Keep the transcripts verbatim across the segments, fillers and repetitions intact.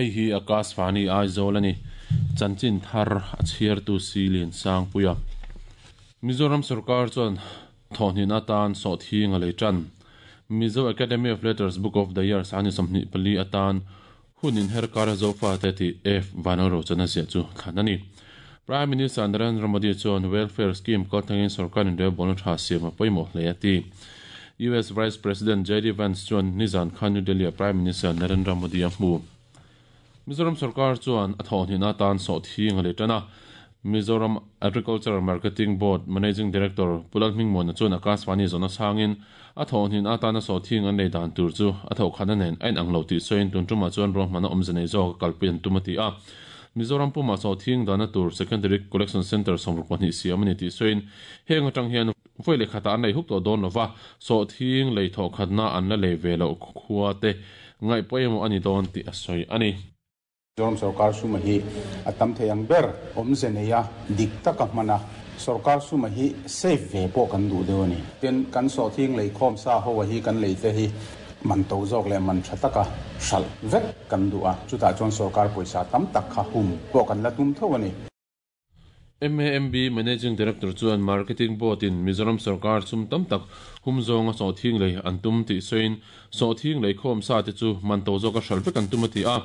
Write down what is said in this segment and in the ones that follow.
Hei hi Akashvani Aizawl ani. Chanchin thar a chhiartu Silian Sangpuia. Mizoram Sarkar chuan thawhnin atan sawhthing a lei tan. Mizo Academy of Letters Book of the Year sani sawmhnih pali atan hunin herkar zofa te ti F Vanlalrochana ziah chu thlan ani. Prime Minister Narendra Modi chuan welfare scheme kaltlangin sarkarin relbawlna tha siam a pawimawh hle a ti. U S Vice President J D Vance chuan nizan khan New Delhi a Prime Minister Narendra Modi a hmu. Mizoram Sarkar chuan a thawhnin atan sawhthing a lei tan a. Mizoram Agricultural Marketing Board Managing Director Pulal Hmingmuana chuan Akashvani zawna changin a thawhnin atana sawhthing an lei dan tur chu a thawhkhatna nen a inang lo tih sawiin tun tumah chuan ruahmanna awmze nei zawk a kalpui an tum a ti a. Mizoram puma sawhthing dana tur Secondary Collection Center sawmruk pahnih siam ani tih sawiin heng atang hian voi leh khatah an lei hup tawh dawn lova sawhthing lei thawhkhatna an la lei ve loh khua te ngaih pawimawh ani dawn tih a sawi ani. Mizoram Sarkar suma hi a tam thei ang ber awmze nei a dik taka hmana Sarkar suma hi safe ve pawh kan duh deuh ani. Tin kan sawhthing lei khawm sa ho a hi kan lei te hi man to zawk leh man tha taka hral vek kan duh a chutah chuan sarkar pawisa tam tak kha hum pawh kan la tum tho ani. M A M B Managing Director chuan Marketing Board in Mizoram Sarkar chum tam tak hum zawnga sawhthing lei an tum tih sawiin sawhthing lei khawm sa te chu man to zawk a hral vek an tum a ti a.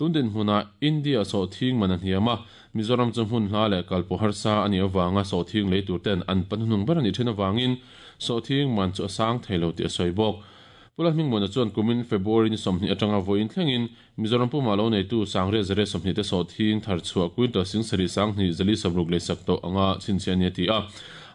Tundin hmunah India sawhthing man a hniam a Mizoram chu hmun hla leh kalpawh harsa ani awanga sawhthing lei tur ten an panhnung ber ani then awangin sawhthing man chu a sang theilo tih a sawi bawk. Pulal Hmingmuana chuan kumin February ni sawmhnih atanga vawiin thlengin Mizoram puma lo neitu sangriat zare sawmhnih te sawhthing thar chhuah quintal sing sarih sanghnih zali sawmruk lei sak tawh anga chhinchhiah ani a ti a.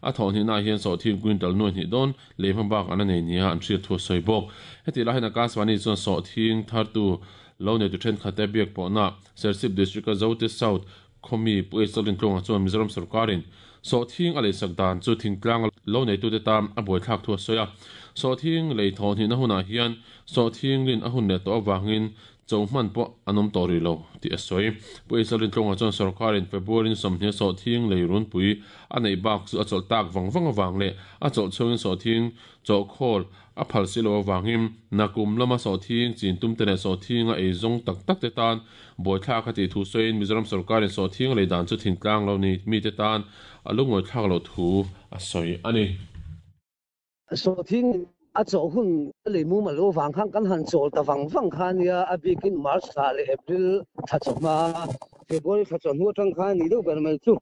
A thawhhnihna hian sawhthing quintal nuai hnih dawn lei hma bak an a nei nia an hriat thu a sawi bawk. Heti lai hian Akashvani chuan sawhthing thartu lo neitu thenkhat te biak pawhna Serchhip District a Zote South khomi Pu H Lalrintlunga chuan Mizoram Sarkarin sawhthing a lei sak dan chu thingtlang lo neitu te tam a buaithlak thu a sawi a. Sawhthing lei thawhhnihna hunah hian sawhthing lin a hun leh tawh awangin cho hman pawh an awm tawh rih lo tih a sawi. Pu H Lalrintlunga chuan sarkarin February ni sawmhnih sawhthing lei runpui a nei bak chu a chawlh tak vang vang awang leh a chawlh chhungin sawhthing chawhkhawl a phal si lo awangin nakum lama sawhthing chin tum te leh sawhthing a ei zawng tak tak te tan buaithlak a tih thu sawiin Mizoram Sarkarin sawhthing lei dan chu thingtlang lo ni mi te tan a lungawi thlak lo thu a sawi ani. Sawhthing a chawh hun lei mu ma lo wang khang kan han chawl ta wang wang kha nia a bikin March thla leh April thla chawhma February thla chawh hnu atang khan ni deuh ber mai chu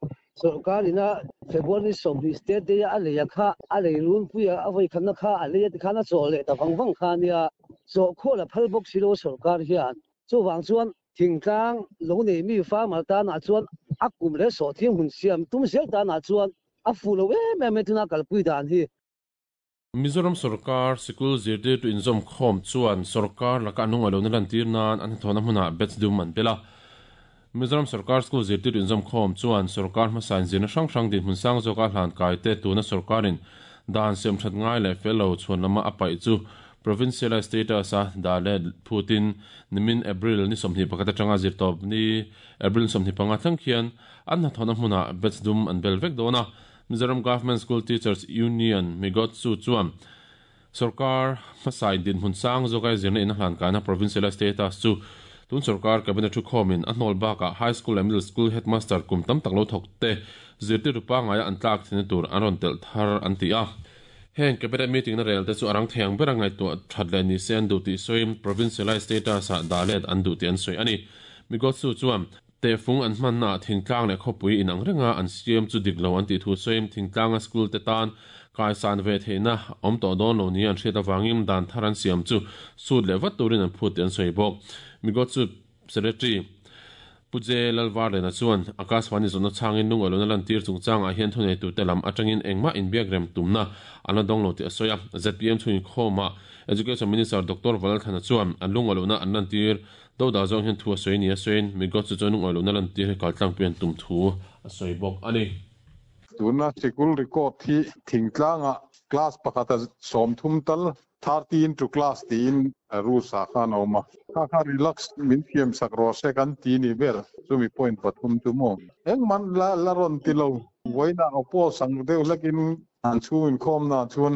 sarkarina February sawmhnih state day a lei a kha a lei runpuia a vawi khatna kha a lei a tikhan a chawl leh ta wang wang kha nia chawhkhawl a phal bawk si lo sarkar hian chuwang chuan thingtlang lo nei mi farmer tanah chuan a kum leh sawhthing hun siam tum zel tanah chuan a fu lo em em e tuna kalpui dan hi. Mizoram Sarkar Sikul zirtir tu inzawm khawm chuan sarkar laka anung alo na lantir nan an thawna hmunah bets dum an bela. Mizoram Sarkar School zirtir tu inzawm khawm chuan sarkar hmasain zirna hrang hrang din hmun sang zawka hlan kai te tuna sarkarin dan siam that ngai leh fel lo chhuan lama a paih chu provincial status a dale phutin nimin April ni sawmhnih pakhat atanga zirtawp ni April sawmhnih panga thleng khian an hnathawna hmunah bets dum an bel vek dawn a. Mizoram Government School Teachers Union Migotsu chuan sarkar hmasai din hmun sang zawka zirna in a hlan kaina provincial status chu tun sarkar cabinet thu khawmin a hnawl bakah high school and middle school headmaster kum tam tak lo thawk te zirtir rupa ngaia an tlak thina tur an rawn telh thar an ti a. Heng cabinet meeting na rel te chu arang theiang ber a ngaihtuah that leh ni se an duh tih sawiin provincial status ah dalet an duh tih an sawi ani. Migotsu chuan te fung an hmanna thingtlang leh khawpui inang renga an siam chu dik lo an tih thu sawiin thingtlanga school te tan kaisan ve theihna awm tawh dawn lo ni an hriat awangin dan thar an siam chu sut leh vat turin an phut tih an sawi bawk. Migotsu Secretary Puje Lalvarlena chuan Akashvani zawna changin lungawi lona lantir chungchangah hian thunei tu te lam atangin engmah inbiak rem tumna an la dawng lo tih a sawi a. Z P M chhuin khawmah Education Minister Doctor Valalthana chuan an lungawi lona an lantir do da zawng hian thu a sawi ni a sawiin Migotsu chuan lungawi lona lantir hi kaltlang pui an tum thu a sawi bawk ani. Tuna sikul record hi thingtlanga class pakhata sawmthum tal thirty into class tiin rules ah khan a awm a. Kha kha relax min thiam sak rawh se kan ti ni ber chumi point pathum chu maw. Eng man la la rawn ti lo vawiinah oppose ang deuh hlekin an chhungin khawmna chuan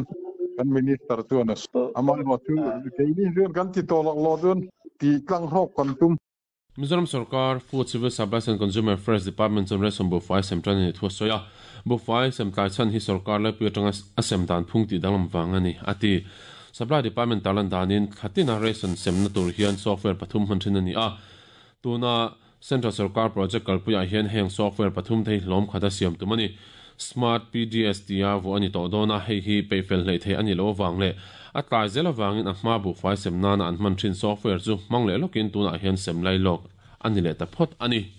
kan minister chuan a amah erawh chu keini chuan kan ti tawh lak lo chuan ti tlang hrawk kan tum. Mizoram Sarkar Food Civil Supplies and Consumer Affairs Department chuan ration buhfai sem tan ani thu a sawi a. Buhfai sem tlai chhan hi sarkar laipui atanga a sem dan phung tih danglam vang ani a ti. Supply Department tarlan danin thlatina ration semna tur hian software pathum hman thin ani a. Tuna Central Sarkar project kalpuiah hian heng software pathum thei hlawm khata siam tum ani. Smart P D S T a vu ani tawh dawn a, hei hi peifel hlei thei ani lo awang le a tlai zel awangin a hma buhfai sem nana an hman thin software chu hmang leh lawkin tunah hian sem lai lawk ani leh ta phawt ani.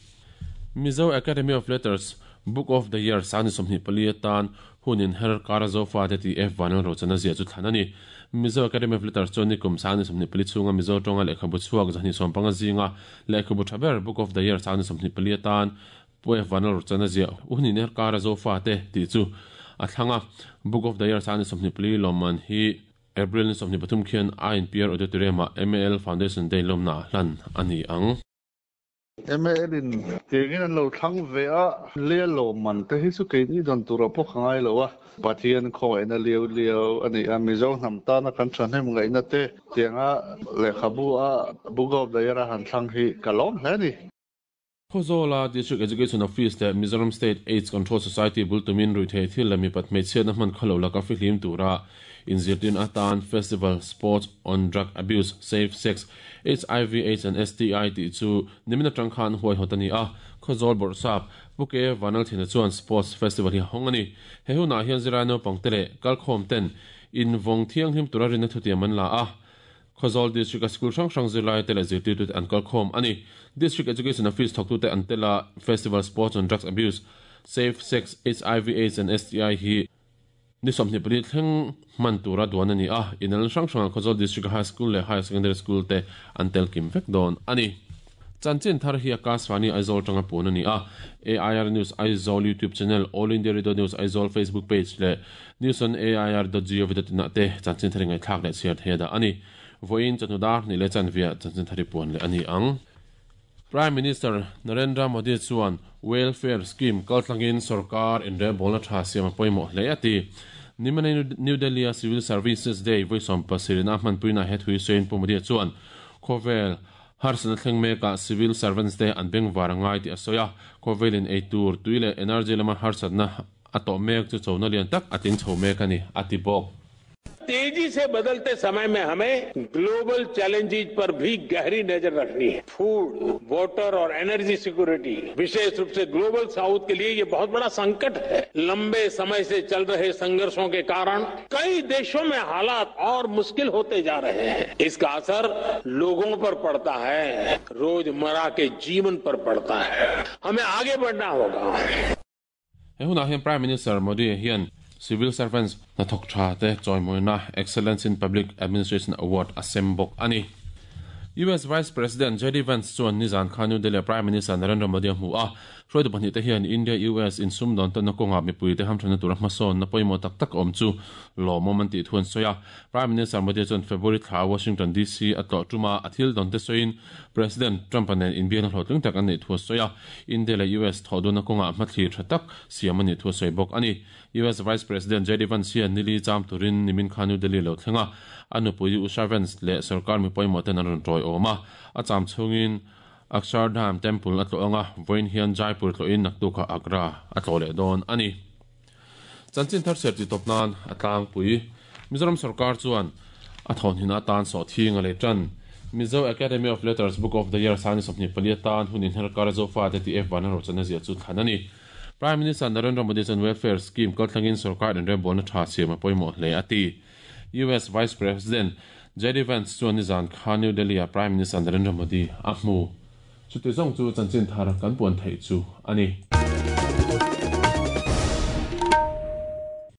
Mizo Academy of Letters Book of the Year sani sawmhnih pali atan hunin her kara zofa te ti F vanal rochana zia chu thlan ani. Mizo Academy of Letters chuan nikum sani sawmhnih pali chhunga Mizo tawnga lehkhabu chhuak zahnih sawmpanga zinga lehkhabu thaber Book of the Year sani sawmhnih pali atan pu F vanal rochana zia hunin her kara zofa te ti chu a thlanga. Book of the Year sani sawmhnih pali lawmman hi April ni sawmhnih pathum khian I N P R Auditorium ah M A L Foundation Day lawmna hlan ani ang. M A L in tiangin an lo thlang ve a le lawmman te hi chu keini dan tura pawh ka ngai lo a. Pathian khawngaihna liau liau ani a, Mizo hnam tana kan thahnem ngaihna te tianga lehkhabu a Book of the Year a han thlang hi ka lawm hle ni. Khawzawla District Education Office le Mizoram State AIDS Control Society bultumin ruithei thil leh mi pat hmeichhiatna hman khawlo laka fihlim tura inzirtin atan Festival Sports on Drug Abuse, Safe Sex, H I V AIDS and S T I tih chu nimina tang khan huai hawt ani a. Khawzawl bawrhsap Puke Vanal Thina chuan Sports Festival hi hawng ani. He hunah hian zirlai naupang te leh kalkhawm ten invawng thianghlim tura rinna thutiam an la a. Khawzawl District a school hrang hrang zirlai te leh zirtirtu te an kalkhawm ani. District Education Office thawktu te an tela Festival Sports on Drugs Abuse, Safe Sex, H I V AIDS and S T I hi ni sawmhnih pali thleng hman tura duan ani a. Inal hrang hrang Khawzawl District High School leh Higher Secondary School te an tel kim vek dawn ani. Chanchin thar hi Akashvani Aizawl tanga pun ani a. A I R News Aizawl YouTube channel, All India Radio News Aizawl Facebook page leh news on A I R dot gov dot in ah te chanchin thar ngai thlak leh chhiar thei da ani. Voin chanudar ni le chanvia chanchin thari puan le ani ang. Prime Minister Narendra Modi chuan welfare scheme kaltlangin sarkar inre bolna tha siam pawimawh hle ati. Nimane New Delhi Civil Services Day voisom pasirina hmanpuina het hui sein pu Modi chuan khawvel harsana thleng meka civil servants te an beng warangai ti asoya. Khawvelin eitur tuile energy lama harsatna ato mek chu chona lian tak ating chho mek ani ati bawk. तेजी से बदलते समय में हमें global challenges पर भी गहरी नजर रखनी है। फूड, वाटर और एनर्जी सिक्योरिटी विशेष रूप से ग्लोबल साउथ के लिए ये बहुत बड़ा संकट है। लंबे समय से चल रहे संघर्षों के कारण कई देशों में हालात और मुश्किल होते जा रहे हैं। इसका असर लोगों पर पड़ता है, रोजमर्रा के जीवन पर पड़ता है। हमें आगे बढ़ना होगा। Prime Minister Modi hian Civil Servants na thok tha te choimoina Excellence in Public Administration Award asembok ani. U S Vice President J D Vance chuan nizan khan New Delhi Prime Minister Narendra Modi hmu a. Hruaitu pahnih te hian India U S in sum dawn tawnna kawnga mipui te hamthana tura hmasawn na pawimawh tak tak awm chu lawmawm an tih thu an sawi a. Prime Minister Modi chuan February thla Washington D C a tlawh tuma a thil dawn te sawiin President Trump anen inbiakna hlawhtling tak an neih thu a sawi a. India leh U S thawh dawnna kawnga hmathlir tha tak siam a nih thu a sawi bawk ani. U S Vice President J D Vance hian nili cham turin nimin khan New Delhi lo thlenga anupui Usha Vance leh sarkar mi pawimawh ten an rawn tawi awm a. A cham chhungin Akshardham Temple a tlawh anga vawiin hian Jaipur tlawhin naktuka Agra a tlawh leh dawn ani. Chanchin thar ser ti tawp nan a tlangpui Mizoram sarkar chuan a thawn hin atan sawhthing a leh tan. Mizo Academy of Letters Book of the Year sani sawmhnih pali atan hunin her kar zofa te ti F van rochana zia chu thlan ani. Prime Minister Narendra Modi chuan welfare scheme kaltlangin sarkar inre bolna tha siam a pawimawh hle ati. U S Vice President J D Vance chuan nizan khan New Delhi a Prime Minister Narendra Modi a hmu. Chuti zawng chu chanchin thar kan puan theih chu ani.